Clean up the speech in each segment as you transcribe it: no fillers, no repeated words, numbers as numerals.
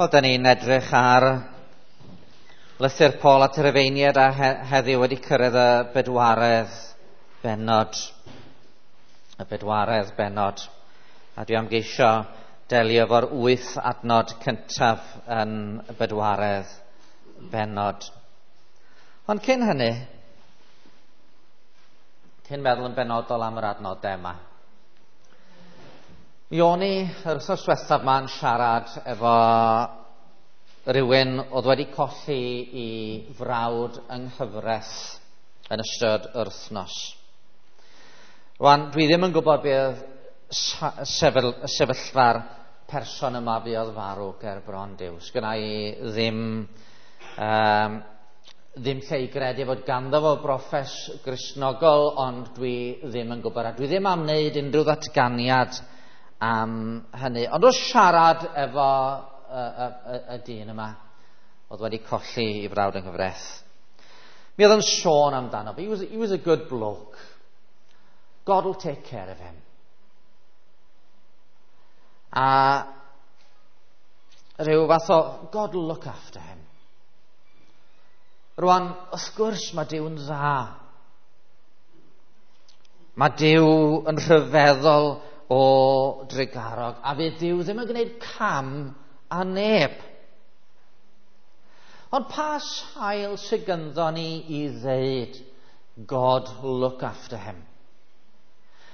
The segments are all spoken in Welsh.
Wel, da ni'n edrych ar lythyr Paul at y Rufeiniaid a heddiw wedi cyrraedd y bedwaredd bennod. Y bedwaredd bennod. A dwi am geisio delio efo'r 8 adnod cyntaf yn y bedwaredd bennod. Ond cyn hynny, cyn meddwl yn benodol am yr adnodau yma, mi o'n i yr wythnos diwethaf ma'n siarad efo rhywun oedd wedi colli i frawd yng nghyfraith yn ystod yr wythnos. Rwan, dwi ddim yn gwybod be oedd sefyllfa'r person yma fuodd farw ger bron Duw. Sgynna i ddim lle i gredu fod ganddo fo broffes Gristnogol, ond dwi ddim yn gwybod, a dwi ddim am wneud unrhyw ddatganiad am hynny. Ond wrth siarad efo y dyn yma oedd wedi colli i frawd yng nghyfraith, mi oedd yn sôn amdano. He was a good bloke. God will take care of him. A rhyw fath o God will look after him. Rwan, wrth gwrs mae Duw'n dda. Mae Duw yn rhyfeddol o drugarog, a fydd Duw ddim yn gwneud cam a neb. Ond pa sail sydd gynddo ni i ddeud God look after him?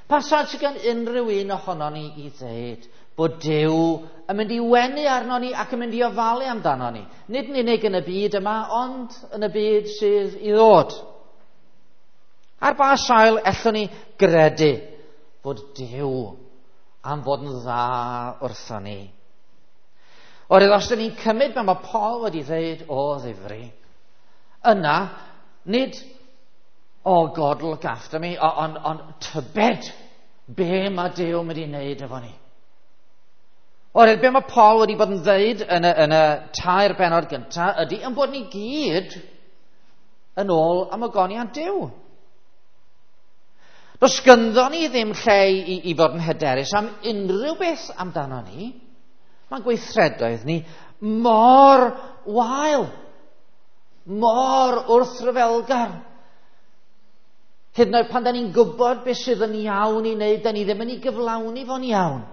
Pa sail sydd gan unrhyw un ohono ni i ddeud bod Duw yn mynd i wenu arno ni ac yn mynd i ofalu amdano ni? Nid yn unig yn y byd yma, ond yn y byd sydd i ddod. Ar ba sail ellwn ni gredu bod Duw am fod yn dda wrtho ni? Oherwydd os dyn ni'n cymryd be mae Paul wedi ddeud o ddifri, yna, nid, oh God look after me, ond tybed be mae Duw mynd i wneud efo ni. Oherwydd be mae Paul wedi bod yn ddeud yn y 3 bennod gyntaf ydy yn bod ni gyd yn ôl am ogoniant Duw. Does gynddo ni ddim lle i fod yn hyderus am unrhyw beth amdano ni. Mae'n gweithredoedd ni mor wael, mor wrthryfelgar. Hyd yn oed pan da ni'n gwybod beth sydd yn iawn i wneud, da ni ddim yn ei gyflawni fo'n iawn.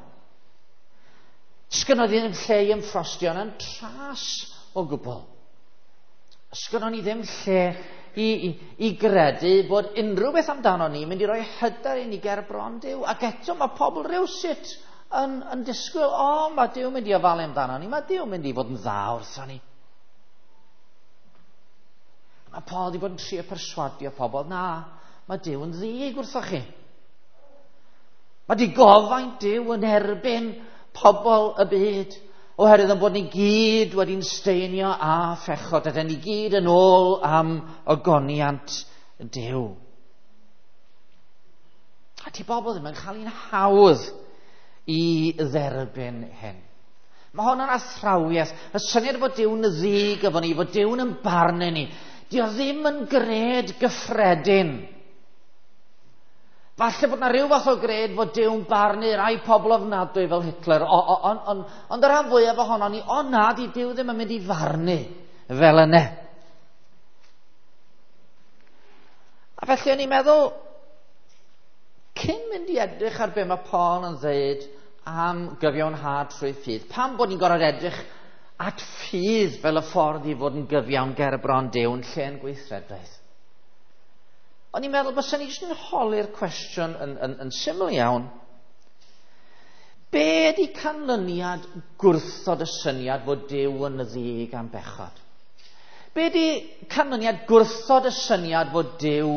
Sgynno ni ddim lle i ymffrostio yn tras o gwbl. Sgynno ni ddim lle i gredu bod unrhyw beth amdano ni mynd i roi hyder i ni ger bron Duw. Ac eto mae pobl rywsut yn disgwyl, o, mae Duw mynd i ofalu amdano ni, mae Duw mynd i fod yn dda wrtho ni. Mae Paul wedi bod yn trio perswadio pobl, na, mae Duw yn ddig wrtho chi. Mae digofaint Duw yn erbyn pobl y byd, oherwydd yn bod ni gyd wedi'n steinio a phechod, a ni gyd yn ôl am ogoniant Duw. A ti bobl ddim yn cael un hawdd i dderbyn hyn. Mae hwn yn athrawiaeth. Y syniad bod Duw'n ddig efo ni, bod Duw'n yn barnu ni, dio ddim yn gred gyffredin. Falle bod na rhyw fath o gred fod Duw'n barnu rai pobl ofnadwy fel Hitler, ond y rhan fwyaf ohono ni, o na, di Duw ddim yn mynd i farnu fel yna. A felly o'n i'n meddwl, cyn mynd i edrych ar be mae Paul yn dweud am gyfiawnhad trwy ffydd, pam bod ni'n gorfod edrych at ffydd fel y ffordd i fod yn gyfiawn ger bron Duw yn lle'n gweithredoedd? O'n i'n meddwl byswn ni jyst yn holi'r cwestiwn yn syml iawn. Be ydi canlyniad gwrthod y syniad fod Duw yn ddig am bechod? Be ydi canlyniad gwrthod y syniad fod Duw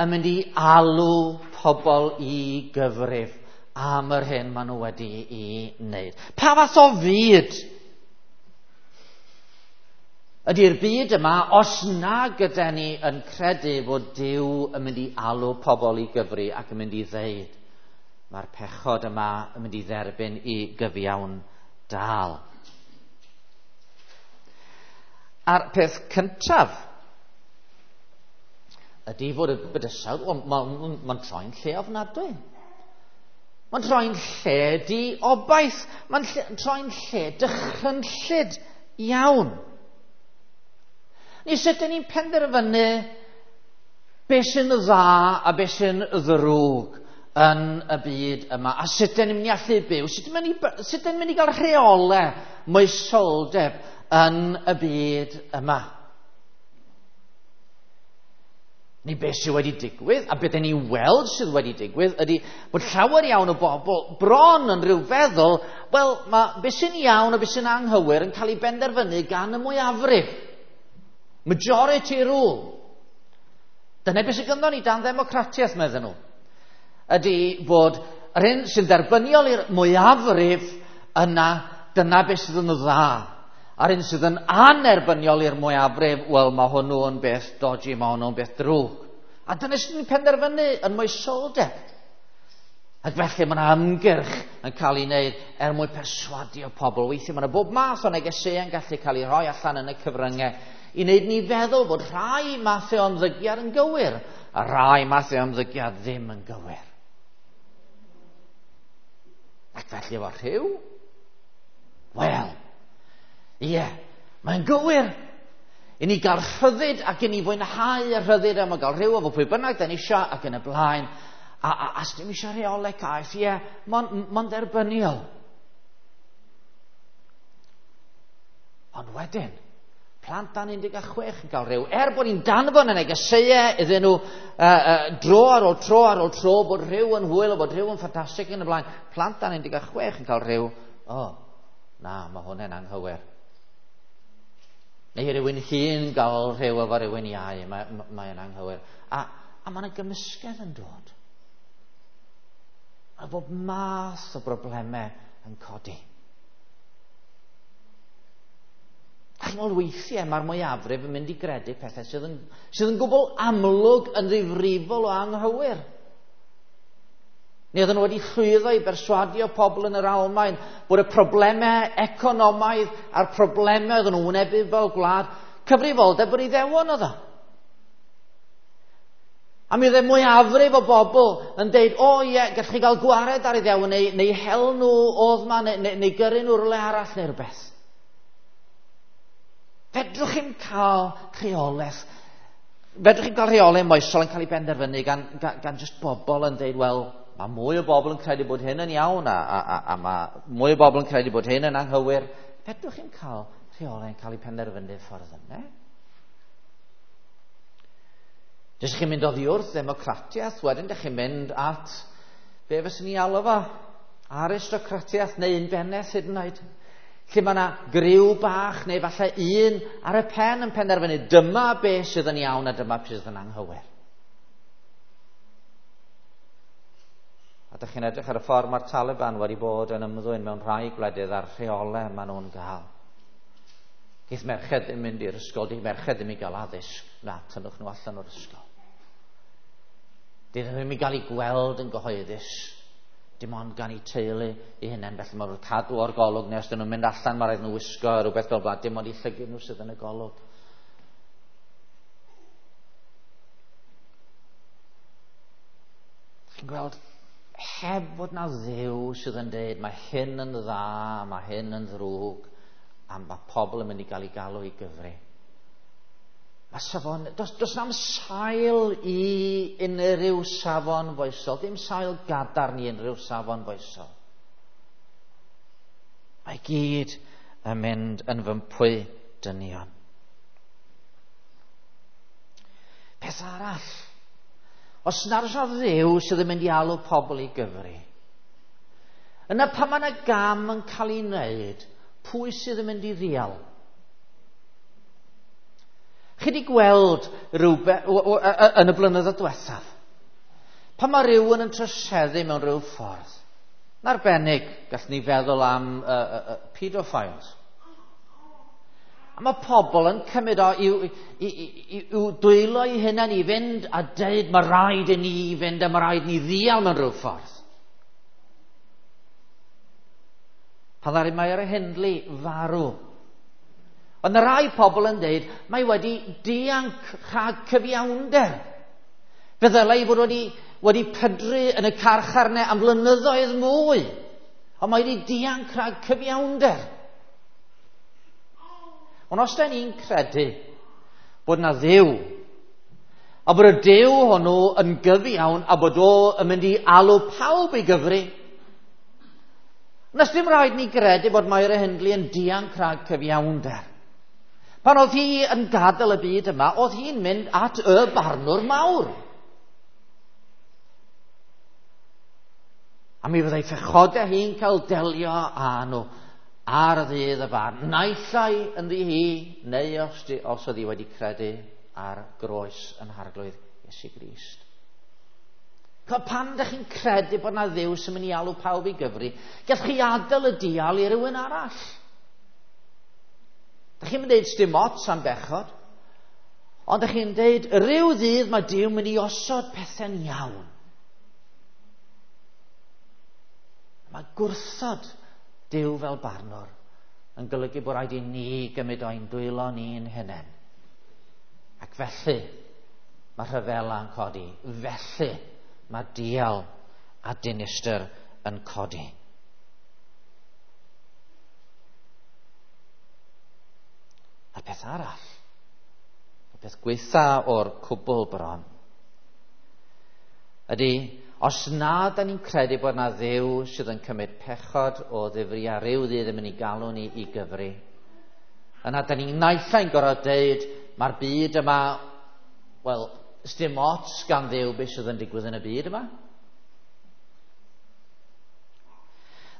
yn mynd i alw pobl i gyfrif am yr hyn maen nhw wedi i wneud? Pa fath o fyd ydy'r byd yma os na gyda ni yn credu fod Duw yn mynd i alw pobl i gyfri ac yn mynd i ddeud mae'r pechod yma yn mynd i dderbyn i gyfiawn dal? A'r peth cyntaf ydy fod y bydysawd, mae'n troi'n lle ofnadwy. Mae'n troi'n lle di obaith. Mae'n troi'n lle dychrynllyd iawn. Ni sut ydyn ni'n penderfynu beth sy'n dda a beth sy'n ddrwg yn y byd yma, a sut ydyn ni'n mynd i allu byw, sut ydyn ni'n mynd i gael rheolau moesoldeb yn y byd yma. Neu beth sydd wedi digwydd, a beth ni'n weld sydd wedi digwydd, ydy bod llawer iawn o bobl bron yn rhyw feddwl, wel, mae beth sy'n iawn a beth sy'n anghywir yn cael ei benderfynu gan y mwyafrif. Majority rule. Dyna beth sydd gynddon ni dan ddemocratiaeth, meddyn nhw. Ydy bod yr hyn sy'n dderbyniol i'r mwyafrif yna, dyna beth sydd yn dda. A'r un sydd yn anerbyniol i'r mwyafrif, wel, mae hwnnw yn beth dodgy, mae hwnnw'n beth drwg. A dyna sydd yn penderfynu yn moesoldeb. Ac felly mae yna ymgyrch yn cael ei wneud er mwyn perswadio pobl. Weithiau mae yna bob math o negeseuon gallu cael ei rhoi allan yn y cyfryngau i wneud ni feddwl bod rhai mathau o ymddygiad yn gywir a rhai mathau o ymddygiad ddim yn gywir. Ac felly efo rhyw, wel, ie, mae'n gywir. I ni gael rhyddid ac i ni fwynhau y rhyddid am gael rhyw efo pwy bynnag da ni isio ac yn y blaen. A dim eisiau rheolau caeth, ie, mae'n dderbyniol. Ond wedyn, plant dan 16 yn cael rhyw. Er bod ni'n danfon y negeseuau iddyn nhw dro ar ôl tro ar ôl tro bod rhyw yn hwyl a bod rhyw yn ffantastig yn y blaen. Plant dan 16 yn cael rhyw. O, na, mae hwnna'n anghywir. Neu rhywun hŷn gael rhyw efo rhywun iau, mae'n anghywir. A mae yna gymysgedd yn dod. A bob math o broblemau yn codi. A chi'n meddwl weithiau mae'r mwyafrif yn mynd i gredu pethau sydd yn gwbl amlwg yn ddifrifol o anghywir. Neu oedden nhw wedi llwyddo i berswadio pobl yn yr Almaen bod y problemau economaidd a'r problemau oedden nhw'n wynebu fel gwlad, cyfrifoldeb yr Iddewon oedd o. A mi oedd y mwyafrif o bobl yn deud, o ie, gallwch chi gael gwared ar Iddewon neu hel nhw oedd ma, neu gyrru nhw rhywle arall neu rhywbeth. Fedrwch chi'm cael rheolaeth. Fedrwch chi'm cael rheolaeth moesol yn cael ei benderfynu gan just bobl yn deud, wel, mae mwy o bobl yn credu bod hyn yn iawn a mae mwy o bobl yn credu bod hyn yn anghywir. Fedrwch chi'm cael rheolau yn cael ei penderfynu ffordd yna. Dych chi'n mynd oddi wrth ddemocratiaeth, wedyn dych chi'n mynd at be fyswn ni alw fo, aristocratiaeth neu unbennaeth hyd yn oed. Lle mae yna griw bach neu falle un ar y pen yn penderfynu dyma be sydd yn iawn a dyma be sydd yn anghywir. A dych chi'n edrych ar y ffordd mae'r Taliban wedi bod yn ymddwyn mewn rhai gwledydd a'r rheolau maen nhw'n gael. Geith merched ddim mynd i'r ysgol, geith merched ddim i gael addysg. Na, tynnwch nhw allan o'r ysgol. Dyn nhw ddim i gael eu gweld yn gyhoeddus. Dim ond gan eu teulu eu hunain, felly maen nhw'n cadw o'r golwg, neu os dyn nhw'n mynd allan, mae rhaid nhw wisgo rhywbeth fel blaen, dim ond eu llygid nhw sydd yn y golwg. Chi'n gweld, heb fod na Dduw sydd yn dweud mae hyn yn dda, mae hyn yn ddrwg, a mae pobl yn mynd i gael ei galw i gyfri. Mae safon, does na'm sail i unrhyw safon foesol, dim sail gadarn i unrhyw safon foesol. Mae gyd yn mynd yn fympwy dynion. Peth arall, os nad oes 'na Dduw sydd yn mynd i alw pobl i gyfri, yna pan mae yna gam yn cael ei wneud, pwy sydd yn mynd i ddial? Chi wedi gweld rhywbeth yn y blynyddoedd diwethaf? Pan mae rhywun yn troseddu mewn rhyw ffordd, yn arbennig, gallwn ni feddwl am pedophiles. A mae pobl yn cymryd o i'w dwylo eu hunain i fynd a deud mae rhaid i ni fynd a mae rhaid ni ddial mewn rhyw ffordd. Pan ddaru Myra Hindley farw, ond mae rai pobl yn deud mae wedi dianc rhag cyfiawnder. Fe ddylai fod wedi pydru yn y carchar yna am flynyddoedd mwy. Ond mae wedi dianc rhag cyfiawnder. Ond os da ni'n credu bod na Dduw, a bod y Duw hwnnw yn gyfiawn a bod o yn mynd i alw pawb i gyfri, nes dim rhaid ni gredu bod Myra Hindley yn dianc rhag cyfiawnder. Pan oedd hi yn gadael y byd yma, oedd hi'n mynd at y barnwr mawr. A mi fyddai phechodau hi'n cael delio â nhw ar y ddydd y farn. Naill ai ynddi hi, neu os oedd hi wedi credu ar groes yn Harglwydd Iesu Grist. Pan ydych chi'n credu bod na Dduw sy'n mynd i alw pawb i gyfri, gallwch chi adael y dial i rywun arall. Dych chi'n mynd i ddeud sdim ots am bechod, ond dych chi'n deud rhyw ddydd mae Duw mynd i osod pethau'n iawn. Mae gwrthod Duw fel barnwr yn golygu bod rhaid i ni gymryd o'n dwylo ni'n hunain. Ac felly mae rhyfela yn codi. Felly mae dial a dinistr yn codi. A'r peth arall, y peth gweitha o'r cwbl bron, ydy, os na da ni'n credu bod na Dduw sydd yn cymryd pechod o ddifri a rhyw ddydd yn mynd i galw ni i gyfri, yna da ni'n naill ai'n gorfod deud, mae'r byd yma, wel, sdim ots gan Dduw beth sydd yn digwydd yn y byd yma.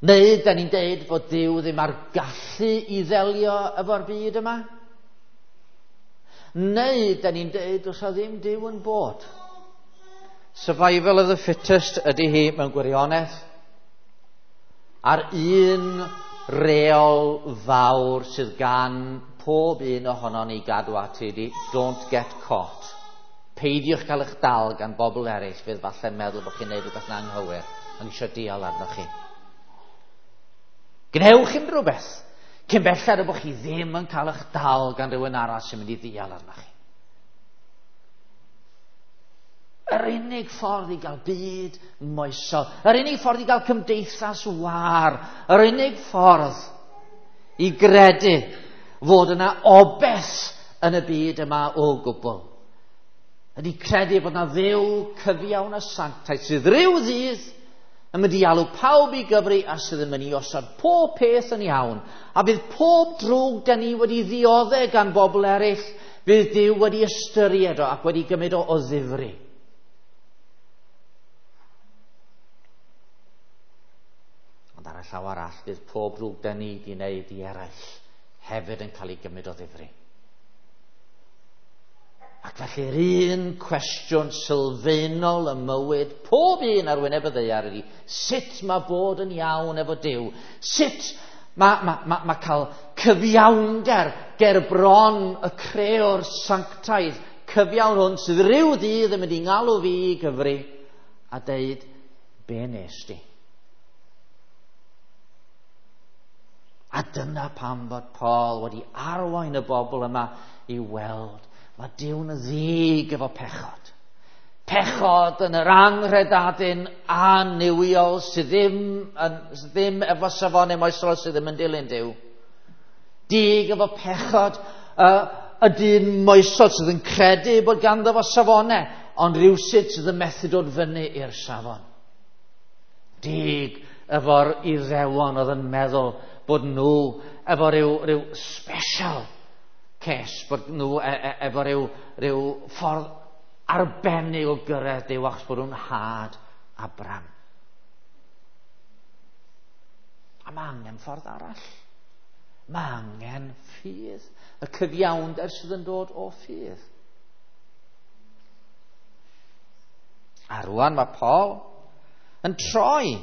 Neu da ni'n deud bod Duw ddim ar gallu i ddelio efo'r byd yma. Neu da ni'n deud os o ddim Duw yn bod. Survival of the fittest ydy hi mewn gwirionedd. A'r un reol fawr sydd gan pob un ohonon ni gadw ati ydy don't get caught. Peidiwch cael eich dal gan bobl eraill fydd falle'n meddwl bod chi'n neud rhywbeth yn anghywir ond eisiau dial arnoch chi. Gwnewch unrhyw beth cyn belled bod chi ddim yn cael eich dal gan rhywun arall sy'n mynd i ddial arnoch chi. Yr unig ffordd i gael byd moesol, yr unig ffordd i gael cymdeithas wâr, yr unig ffordd i gredu fod yna obeth yn y byd yma o gwbl, ydy credu bod yna Dduw cyfiawn a sanctaidd sydd ryw ddydd yn mynd i alw pawb i gyfri a sydd yn mynd i osod pob peth yn iawn. A bydd pob drwg da ni wedi ddioddef gan bobl eraill, bydd Duw wedi ystyried o ac wedi gymryd o ddifri. Ond ar y llaw arall, bydd pob drwg da ni wedi wneud i eraill hefyd yn cael ei gymryd o ddifri. Ac felly'r un cwestiwn sylfaenol y mywyd pob un ar wyneb y ddaear ydy sut mae bod yn iawn efo Duw? Sut mae cael cyfiawnder ger bron y creor sanctaidd cyfiawn hwn sydd rhyw ddydd yn mynd i ngalw fi i gyfri a deud, be nes di? A dyna pam fod Paul wedi arwain y bobl yma i weld mae Duw'n ddig efo pechod. Pechod yn yr anghredadun annuwiol sydd ddim efo safonau moesol sydd ddim yn dilyn Duw. Dig efo pechod y dyn moesol sydd yn credu bod ganddo fo safonau, ond rhywsut sydd yn methu dod fyny i'r safon. Dig efo'r Iddewon oedd yn meddwl bod nhw efo rhyw special case, bod nhw efo rhyw ffordd arbennig o gyrraedd Duw achos bod nhw'n had Abraham. A mae angen ffordd arall. Mae angen ffydd. Y cyfiawnder sydd yn dod o ffydd. A rwan mae Paul yn troi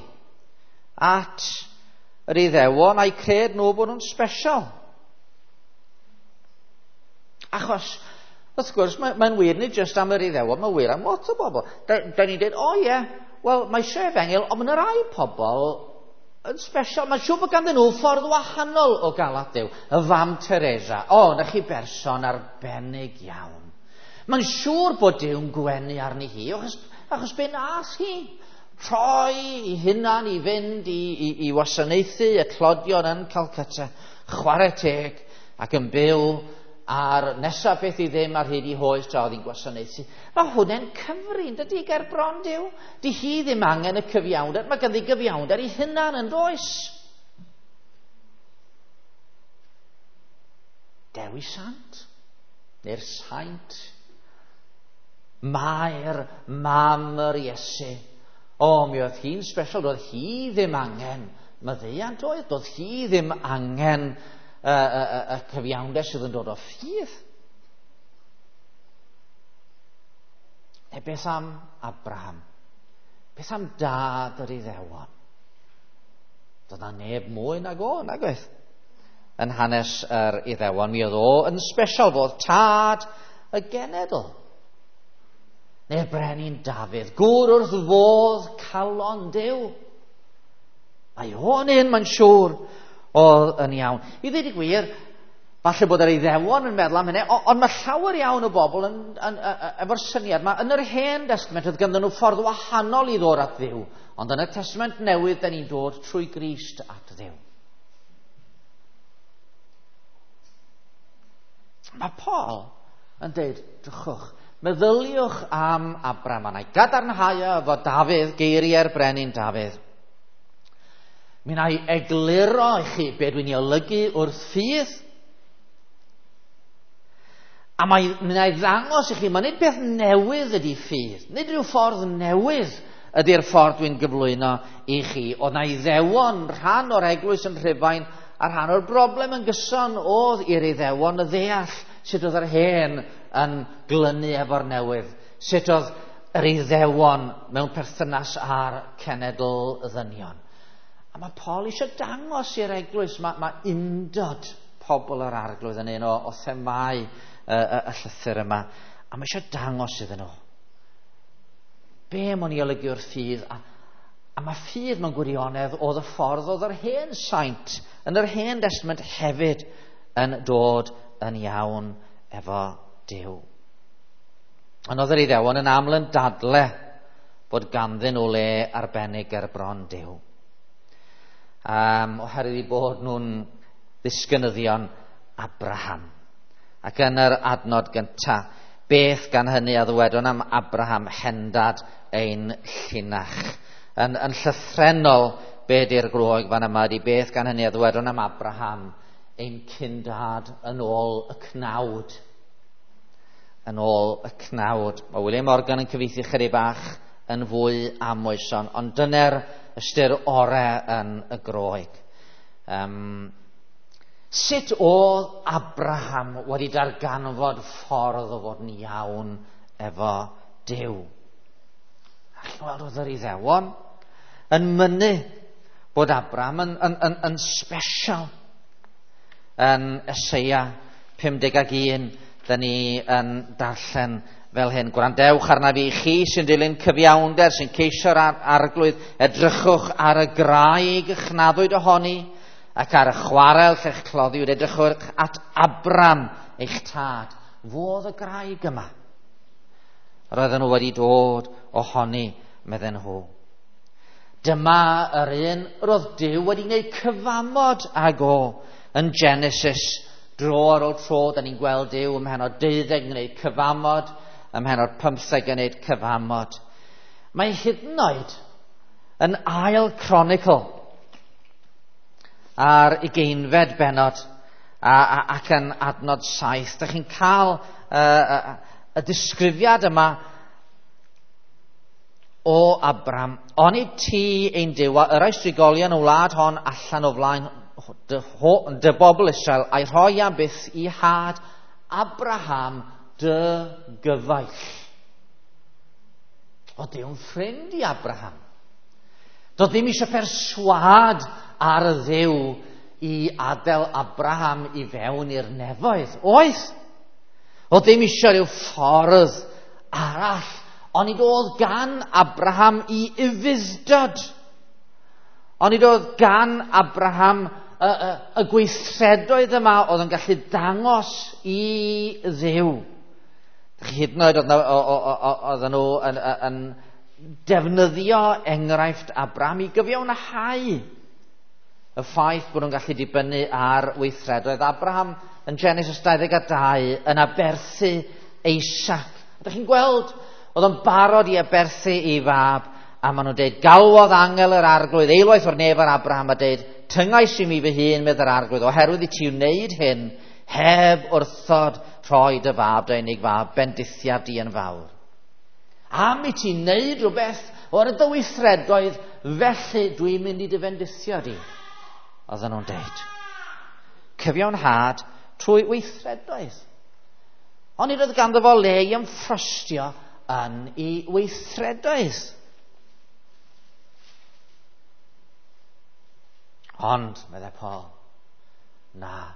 at yr Iddewon a'i cred nhw bod nhw'n special. Achos, wrth gwrs, mae'n wir nid jyst am yr Iddewon, mae'n wir am lot o bobl. Da ni'n dweud, o ie, wel, mae eisiau efengyl, ond mae'n rhai pobl yn special. Mae'n siŵr bod ganddyn nhw ffordd wahanol o gael at Dduw. Y fam Teresa, o, na chi berson arbennig iawn. Mae'n siŵr bod Duw'n gwenu arni hi, achos be nath hi? Rhoi i hunan i fynd i wasanaethu y tlodion yn Calcutta, chwarae teg, ac yn byw a'r nesaf beth i ddim ar hyd i hoes tra oedd hi'n gwasanaethu. Mae hwnna'n cyfri, yn dydy, ger bron Duw. Di hi ddim angen y cyfiawnder, mae ganddi gyfiawnder i hunan yn does. Dewi Sant, neu'r saint, Mair, mam yr Iesu. O, mi oedd hi'n special, doedd hi ddim angen maddeuant oedd, doedd hi ddim angen y cyfiawnder sydd yn dod o ffydd. Neu beth am Abraham? Beth am dad yr Iddewon? Doedd na neb mwy nag o, nag oedd? Yn hanes yr Iddewon, mi oedd o yn special fod tad y genedl. Neu'r brenin Dafydd, gŵr wrth fodd calon Duw. Mae o'n un, mae'n siŵr, oedd yn iawn. I ddweud y gwir, falle bod yr Iddewon yn meddwl am hynny, ond mae llawer iawn o bobl efo'r syniad yma. Yn yr Hen Testament oedd ganddyn nhw ffordd wahanol i ddod at Dduw, ond yn y Testament Newydd, da ni'n dod trwy Grist at Dduw. Mae Paul yn dweud, drychwch, meddyliwch am Abraham, a na i gadarnhau efo Dafydd, geiriau'r brenin Dafydd. Mi wna i egluro i chi be dwi'n ei olygu wrth ffydd. A mi wna i ddangos i chi, mae nid beth newydd ydy ffydd, nid rhyw ffordd newydd ydy'r ffordd dwi'n gyflwyno i chi. Oedd na Iddewon rhan o'r eglwys yn Rhufain, a rhan o'r broblem yn gyson oedd i'r Iddewon y ddeall sut oedd yr hen yn glynu efo'r newydd, sut oedd yr Iddewon mewn perthynas â'r cenedl ddynion. A mae Paul eisiau dangos i'r eglwys, mae undod pobl yr Arglwydd yn un o themâu y llythyr yma, a mae eisiau dangos iddyn nhw. Be mae'n ei olygu o'r ffydd? A mae ffydd mewn gwirionedd oedd y ffordd oedd yr hen saint yn yr Hen Testament hefyd yn dod yn iawn efo Duw. Ond oedd yr Iddewon yn aml yn dadle bod ganddyn nhw le arbennig ger bron Duw. Oherwydd eu bod nhw'n ddisgynyddion Abraham. Ac yn yr adnod gyntaf, beth gan hynny a ddywedwn am Abraham hendad ein llinach? Yn llythrennol, be di'r Groeg fan yma ydy beth gan hynny a ddywedwn am Abraham ein cyndad yn ôl y cnawd. Yn ôl y cnawd. Mae William Morgan yn cyfieithu chydig bach yn fwy amwyson, ond dyna'r ystyr ore yn y Groeg. Sut oedd Abraham wedi darganfod ffordd o fod yn iawn efo Duw? A chi'n gweld oedd yr Iddewon yn mynnu bod Abraham yn special. Yn Eseia 51, da ni yn darllen fel hyn. Gwrandewch arna fi, chi sy'n dilyn cyfiawnder, sy'n ceisio'r Arglwydd, edrychwch ar y graig chnaddwyd ohoni, ac ar y chwarel lle'ch cloddiwyd, edrychwch at Abram, eich tad. Fodd y graig yma. Roedden nhw wedi dod ohoni, medden nhw. Dyma yr un roedd Duw wedi gwneud cyfamod ag o yn Genesis. Dro ar ôl tro, da ni'n gweld Duw ym mhennod 12 yn gwneud cyfamod, ym mhennod 15 yn gwneud cyfamod. Mae hyd yn oed yn ail Chronicle ar 20fed bennod ac yn adnod 7. Da chi'n cael y disgrifiad yma o Abram. Onid ti ein Duw a yrrais drigolion y wlad hon allan o flaen dy bobl Israel a'i rhoi am byth i had Abraham dy gyfaill. O Duw'n ffrind i Abraham. Doedd ddim eisiau perswâd ar y Dduw i adael Abraham i fewn i'r nefoedd. Oedd. Oedd ddim eisiau rhyw ffordd arall, ond oedd gan Abraham i ufudd-dod. Ond oedd gan Abraham y gweithredoedd yma oedd yn gallu dangos i Dduw. Hyd yn oed oedden nhw yn defnyddio enghraifft Abraham i gyfiawnhau y ffaith bod nhw'n gallu dibynnu ar weithredoedd. Abraham yn Genesis 22 yn aberthu Isaac. Ydych chi'n gweld, oedd o'n barod i aberthu ei fab, a maen nhw'n dweud, galwodd angel yr arglwydd eilwaith o'r nef ar Abraham a dweud, tyngais i mi fy hun, medd yr arglwydd, oherwydd i ti wneud hyn, heb wrthod rhoi dy fab, dy unig fab, bendithiaf di yn fawr. Am i ti wneud rhywbeth o'r dy weithredoedd, felly dwi'n mynd i dy fendithio di, oedden nhw'n deud. Cyfiawnhad trwy weithredoedd. Ond nid oedd ganddo fo le i ymffrostio yn ei weithredoedd. Ond, meddai Paul, na.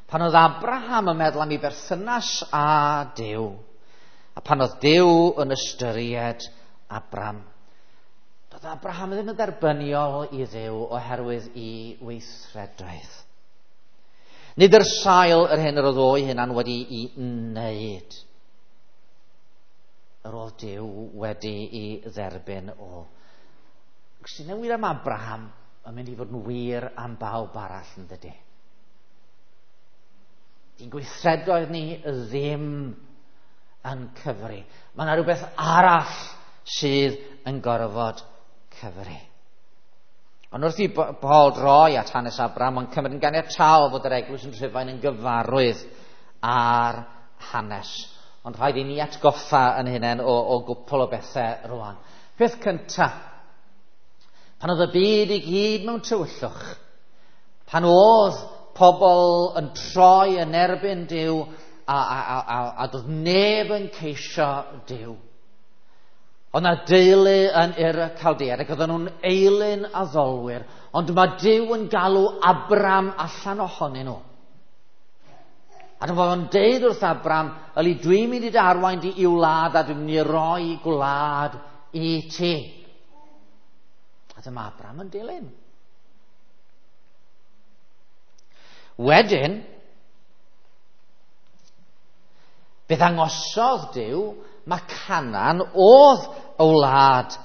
Pan oedd Abraham yn meddwl am ei berthynas â Duw, a pan oedd Duw yn ystyried Abraham, doedd Abraham ddim yn dderbyniol i Dduw oherwydd ei weithredoedd. Nid yr sail yr hyn yr oedd o'i hunan wedi'i wneud. Yr oedd Duw wedi'i dderbyn o. Sy'n wir am Abraham yn mynd i fod yn wir am bawb arall, yn dydy? Di'n gweithredoedd ni ddim yn cyfri. Mae yna rhywbeth arall sydd yn gorfod cyfri. Ond wrth i Paul droi at hanes Abraham, mae'n cymryd yn ganiataol fod yr eglwys yn Rhufain yn gyfarwydd â'r hanes. Ond rhaid i ni atgoffa yn hunain o gwpl o bethau rwan. Peth cyntaf, pan oedd y byd i gyd mewn tywyllwch, pan oedd pobl yn troi yn erbyn Duw a doedd neb yn ceisio Duw. Oedd 'na deulu yn Ur y Chaldeaid ac oedden nhw'n eilun addolwyr, ond mae Duw yn galw Abram allan ohonyn nhw. A dyma fo'n deud wrth Abram, yli dwi'n mynd i dy arwain di i'w wlad a dwi'n mynd i roi gwlad i ti. A dyma Abram yn dilyn. Wedyn, fe ddangosodd Duw mae Canaan oedd y wlad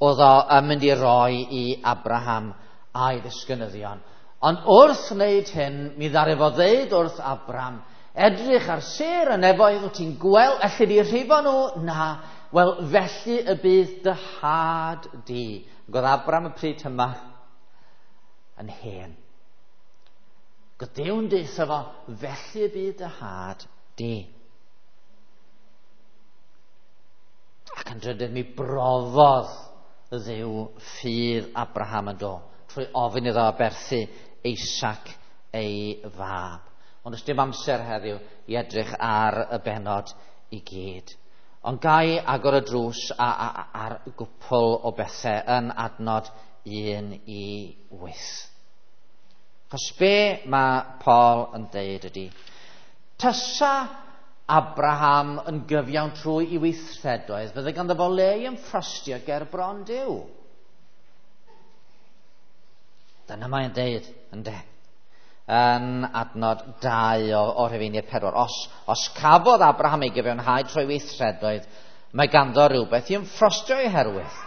oedd o yn mynd i roi i Abraham a'i ddisgynyddion. Ond wrth wneud hyn, mi ddaru fo ddeud wrth Abraham, edrych ar sêr y nefoedd, wyt ti'n gweld, elli di rhifo nhw? Na. Wel, felly y bydd dy had di. Ac oedd Abraham y pryd yma yn hen. Ac oedd Duw'n deutha fo, felly y bydd dy had di. Ac yn drydydd, mi brofodd Dduw ffydd Abraham yn do, trwy ofyn iddo aberthu Isaac ei fab. Ond does dim amser heddiw i edrych ar y bennod i gyd. Ond gai agor y drws ar gwpl o bethau yn adnod 1 i 8. Chos be mae Paul yn deud ydy, tysa Abraham yn gyfiawn trwy i weithredoedd, fydde ganddo fo le i ymffrostio ger bron Duw. Dyna mae'n deud, ynde? Yn adnod 2 o Rhufeiniaid 4. Os cafodd Abraham ei gyfiawnhau trwy weithredoedd, mae ganddo rhywbeth i ymffrostio ei herwydd.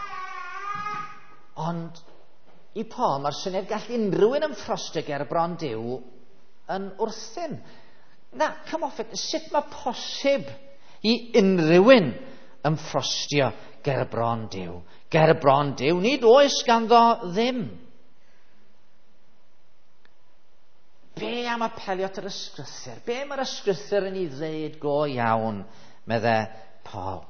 Ond i Paul, mae'r syniad gall unrhyw un ymffrostio ger bron Duw yn wrthyn. Na, come off it. Sut mae posib i unrhyw un ymffrostio ger bron Duw? Ger bron Duw, nid oes ganddo ddim. Be am apelio at yr ysgrythur? Be mae'r ysgrythur yn ei ddeud go iawn, medde Paul?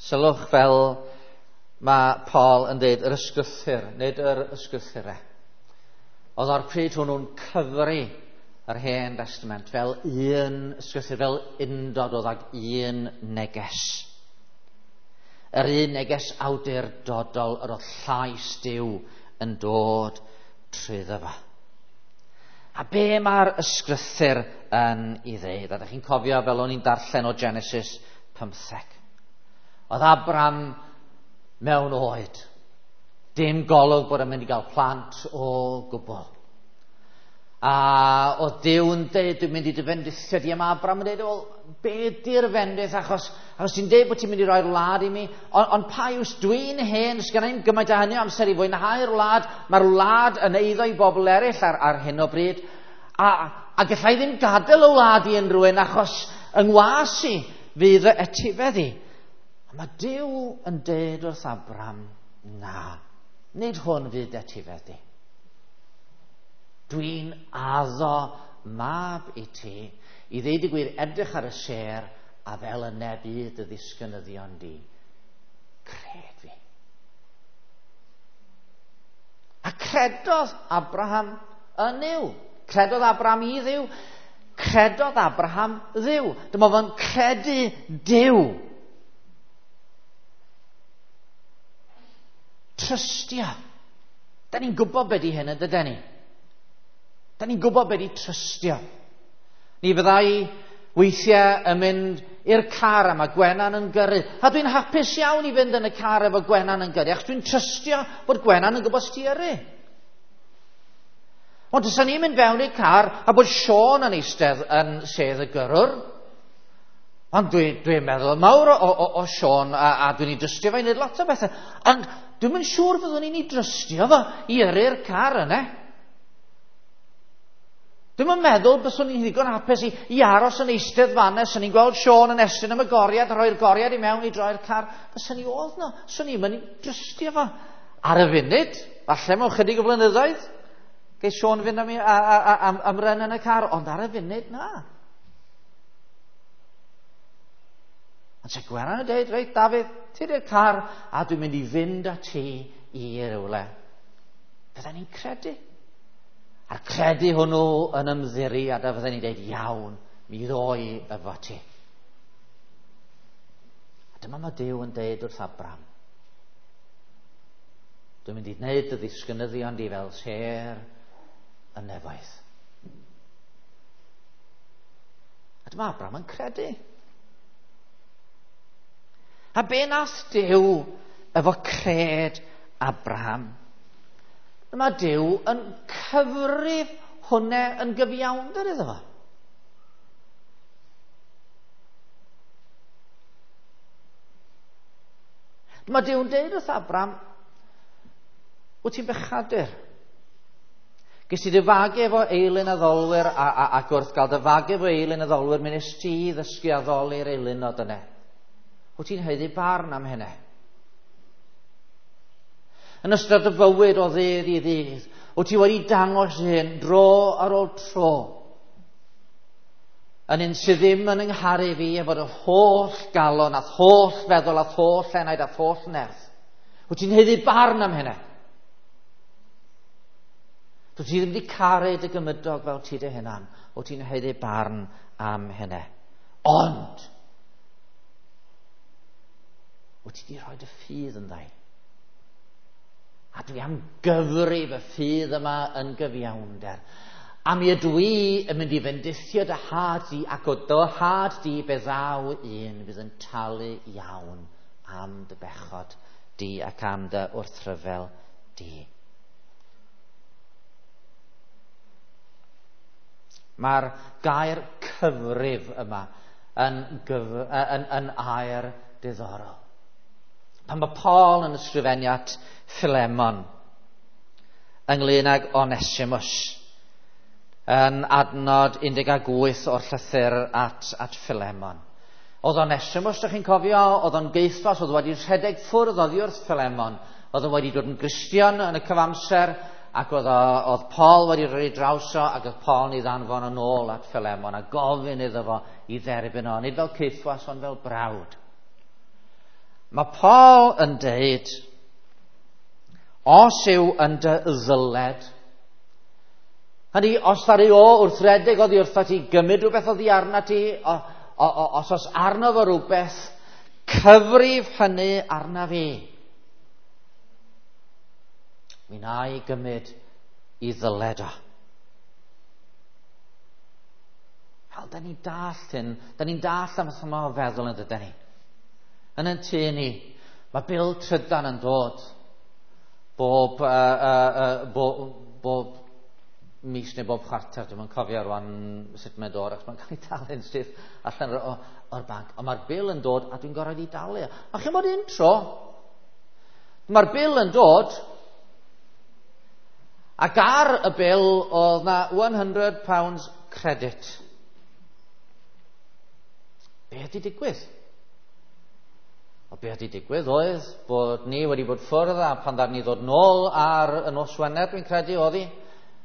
Sylwch fel mae Paul yn deud yr ysgrythur, nid yr ysgrythurau. Oedd o'r pryd hwnnw'n cyfri yr Hen Testament fel un ysgrythur, fel undod oedd ag un neges. Yr un neges awdurdodol yr oedd llais Duw yn dod trwyddo fo. A be mae'r ysgrythur yn ei ddeud? A ydych chi'n cofio fel o'n i'n darllen o Genesis 15. Oedd Abraham mewn oed. Dim golwg bod yn mynd i gael plant o gwbl. A oedd Duw yn deud, dwi'n mynd i dy fendithio di. A mae Abraham yn deud, wel, be di'r fendith? Achos ti'n deud bod ti'n mynd i roi'r wlad i mi. Ond pa iws, dwi'n hen, sgynna i'm gymaint o hynny o amser i fwynhau'r wlad. Mae'r wlad yn eiddo i bobl eraill ar hyn o bryd. A gallai ddim gadael y wlad i unrhyw un, achos yng ngwas i fydd y etifedd i. A mae Duw yn deud wrth Abraham, na, nid hwn fydd etifedd di. Dwi'n addo mab i ti, i ddeud y gwir, edrych ar y sêr, a fel yna bydd dy ddisgynyddion di. Cred fi. A credodd Abraham yn Nuw. Credodd Abraham i Dduw. Credodd Abraham Dduw. Dyma fo'n credu Duw. Trystia. Da ni'n gwybod beth di hyn, yn dydyn ni? Da ni'n gwybod beth di trystio. Ni fyddai weithiau yn mynd i'r car a mae Gwenan yn gyrru. A dwi'n hapus iawn i fynd yn y car efo Gwenan yn gyrru, achos dwi'n trystio bod Gwenan yn gwybod sut i yrru. Ond os ni'n mynd fewn i'r car a bod Siôn yn eistedd yn sedd y gyrrwr, ond dwi'n meddwl mawr o Siôn a dwi'n ei drystio fo i wneud lot o bethau. Ond dwi'm yn siŵr fyddwn ni'n ei drystio fo i yrru'r car yna. Dwi'm yn meddwl byswn i'n ddigon hapus i aros yn eistedd fan'na, swn i'n gweld Siôn yn estyn am y goriad, a rhoi'r goriad i mewn i droi'r car. Fyswn i oedd no, swn i'n mynd i drystio fo. Ar y funud, falle mewn chydig o flynyddoedd, geith Siôn fynd am, am run yn y car, ond ar y funud, na. Ond se Gwenan yn dweud, reit Dafydd, ti di'r car, a dwi'n mynd i fynd â ti i rywle. Fydden ni'n credu. A'r credu hwnnw yn ymddiri, a da fydden ni'n dweud, iawn, mi ddoi efo ti. A dyma mae Duw yn dweud wrth Abraham. Dwi'n mynd i wneud dy ddisgynyddion di fel sêr y nefoedd. A dyma Abraham yn credu. A be nath Duw efo cred Abraham? Dyma Duw yn cyfrif hwnna yn gyfiawnder iddo fo. Dyma Duw yn deud wrth Abraham, wyt ti'n bechadur? Ges ti dy fagu efo eilun addolwyr ac wrth gael dy fagu efo eilun addolwyr, mi nes ti ddysgu addoli'r eilunod yna. Wyt ti'n haeddu barn am hynny? Yn ystod y bywyd o ddydd i ddydd, wyt ti wedi dangos hyn dro ar ôl tro. Yn un sydd ddim yn yngharu fi efo dy holl galon, a'th holl feddwl, a'th holl enaid, a'th holl nerth. Wyt ti'n haeddu barn am hynny? Dwyt ti ddim wedi caru dy gymydog fel ti dy hunan. Wyt ti'n haeddu barn am hynny? Ond, wyt ti wedi rhoi dy ffydd yn ddau. A dwi am gyfrif y ffydd yma yn gyfiawnder. A mi ydw i yn mynd i fendithio dy had di, ac o dy had di fe ddaw un fydd yn talu iawn am dy bechod di ac am dy wrthryfel di. Mae'r gair cyfrif yma yn air diddorol. Pan mae Paul yn ysgrifennu at Philemon ynglyn ag Onesimus yn adnod 18 o'r llythyr at Philemon. Oedd Onesimus, dych chi'n cofio, oedd o'n geithwas, oedd wedi rhedeg ffwrdd oddi wrth Philemon, oedd o wedi dod yn Gristion yn y cyfamser, ac oedd Paul wedi rhoi draws o, ac oedd Paul yn ei ddanfon yn ôl at Philemon a gofyn iddo fo i dderbyn o, nid fel caethwas, ond fel brawd. Mae Paul yn deud, os yw yn dy ddyled, hynny, os ddaru o wrth redeg oddi wrtho ti, gymryd rhywbeth oddi arna ti, os oes arno fo rhywbeth, cyfrif hynny arna fi. Mi wna i gymryd i ddyled o. Fel, da ni'n dallt hyn, da ni'n dallt am yma o feddwl yn dydyn ni. Yn ein tŷ ni, mae bil trydan yn dod bob mis neu bob chwarter, dwi'n cofio rwan sut mae'n dod, achos mae'n cael ei talu'n syth allan o'r banc. Ond mae'r bil yn dod a dwi'n gorfod ei dalu. A chi'n bod un tro, mae'r bil yn dod, ac ar y bil oedd na £100 credit. Be ydi digwydd? O be ydi digwydd oedd bod ni wedi bod ffwrdd a pan ddaru ni ddod nôl ar y nos Wener, dwi'n credu oedd hi,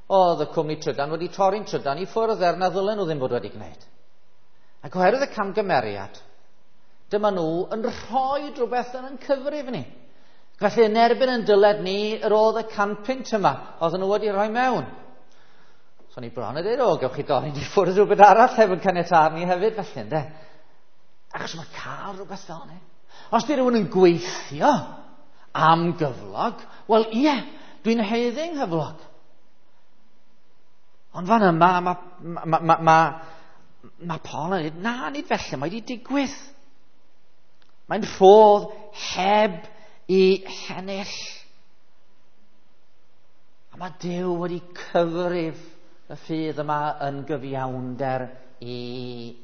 oedd y cwmni trydan wedi torri'n trydan i ffwrdd er na ddylen nhw ddim bod wedi gwneud. Ac oherwydd y camgymeriad, dyma nhw yn rhoi rhywbeth yn ein cyfrif ni. Felly yn erbyn yn dyled ni, yr oedd y 100 punt yma, oedden nhw wedi rhoi mewn. So ni bron yn dweud, o, gewch chi dorri ni ffwrdd rhywbeth arall heb yn caniatâd ni hefyd, felly, ynde? Achos mae cael rhywbeth fel yna. Os di rhywun yn gweithio am gyflog, wel ie, dwi'n haeddu nghyflog. Ond fan yma, mae Paul yn dweud, na, nid felly, mae wedi digwydd. Mae'n rhodd heb i hennill. A mae Duw wedi cyfrif y ffydd yma yn gyfiawnder i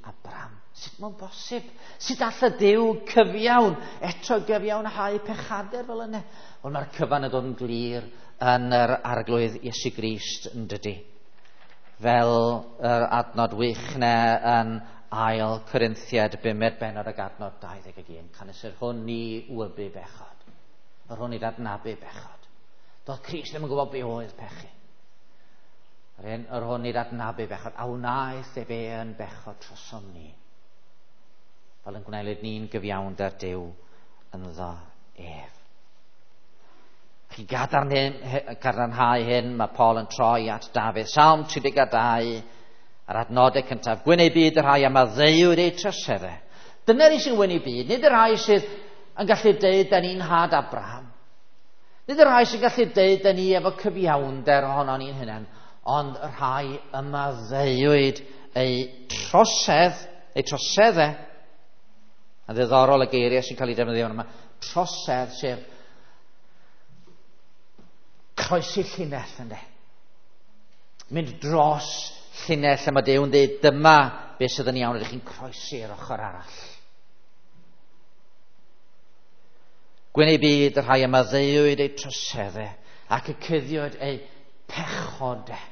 Abraham. Sut mae'n bosib? Sut all y Duw cyfiawn eto gyfiawnhau pechadur fel yna? Wel, mae'r cyfan yn dod yn glir yn yr Arglwydd Iesu Grist yn dydy. Fel yr adnod wych na yn ail Corinthiad, bumed bennod ag adnod 21. Canys yr hwn ni wybu bechod. Yr hwn nid adnabu bechod. Doedd Crist ddim yn gwybod be oedd pechu. Yr hwn nid adnabu bechod. A wnaeth ef e yn bechod trosom ni. Fel yn gwneud ni'n gyfiawnder Duw ynddo ef. Ac i gadarnhau hyn, mae Paul yn troi at Dafydd. Salm 32, a'r adnodau cyntaf. Gwyn eu byd y rhai a maddeuwyd eu troseddau. Dyna ni sy'n wyn eu byd, nid y rhai sydd yn gallu deud da ni'n had Abraham. Nid y rhai sy'n gallu deud da ni efo cyfiawnder ohono ni'n hunain, ond y rhai y maddeuwyd eu trosedd, eu troseddau. A ddiddorol y geiriau sy'n cael ei defnyddio yma. Trosedd, sef croesi llinell, ynddo. Mynd dros llinell a mae Duw yn dweud, dyma beth sydd yn iawn, ydych chi'n croesi'r ochr arall. Gwyn eu byd y rhai a maddeuwyd eu troseddau ac y cuddiwyd eu pechodau.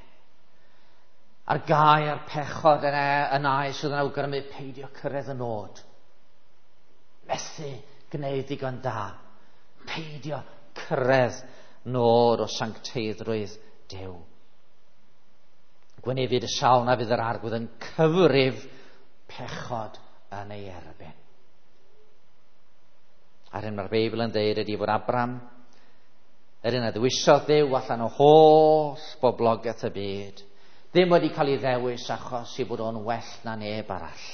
A'r gair pechod yna yn air sydd yn awgrymu peidio cyrraedd y nod. Methu gwneud digon da. Peidio cyrraedd nod o sancteiddrwydd Duw. Gwyn ei fyd y sawl na fydd yr Arglwydd yn cyfrif pechod yn ei erbyn. A'r hyn mae'r Beibl yn dweud ydy bod Abraham, yr un a ddewisodd Duw allan o holl boblogaeth y byd, ddim wedi cael ei ddewis achos i bod o'n well na neb arall,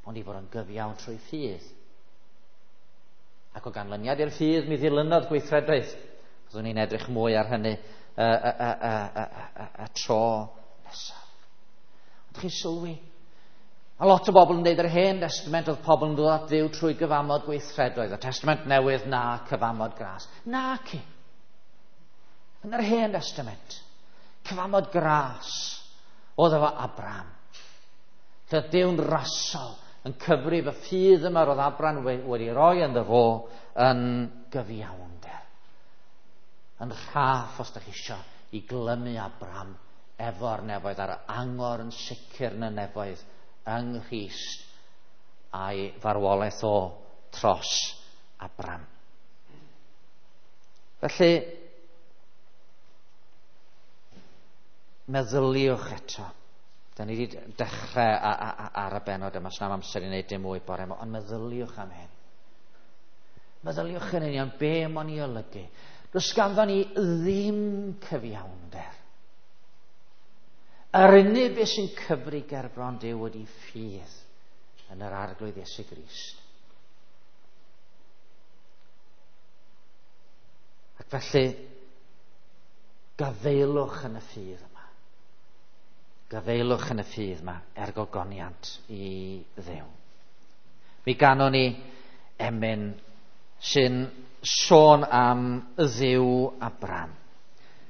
ond i fod o'n gyfiawn trwy ffydd. Ac o ganlyniad i'r ffydd, mi ddilynodd gweithredoedd. Byddwn ni'n edrych mwy ar hynny y tro nesaf. Ond chi'n sylwi, a lot o bobl yn dweud yr Hen Testament oedd pobl yn dod at Dduw trwy gyfamod gweithredoedd. Y Testament Newydd na cyfamod gras. Na ci. Yn yr Hen Testament, cyfamod gras oedd efo Abraham. Lle Duw'n rasol yn cyfrif y ffydd yma roedd Abraham wedi roi ynddo fo yn gyfiawnder. Yn rhaff, os da chi isio, i glymu Abraham efo'r nefoedd, a'r angor yn sicr yn y nefoedd yng Nghrist a'i farwolaeth o tros Abraham. Felly, meddyliwch eto. Da ni wedi dechrau ar y benod yma, sna'm amser i wneud dim mwy bore yma, ond meddyliwch am hyn. Meddyliwch yn union be mae'n ei olygu. Does ganddo ni ddim cyfiawnder. Yr unig beth sy'n cyfri gerbron Duw ydy ffydd yn yr Arglwydd Iesu Grist. Ac felly, gafaelwch yn y ffydd yma. Gafaelwch yn y ffydd yma er gogoniant i Dduw. Mi ganon ni emyn sy'n sôn am Dduw Abraham.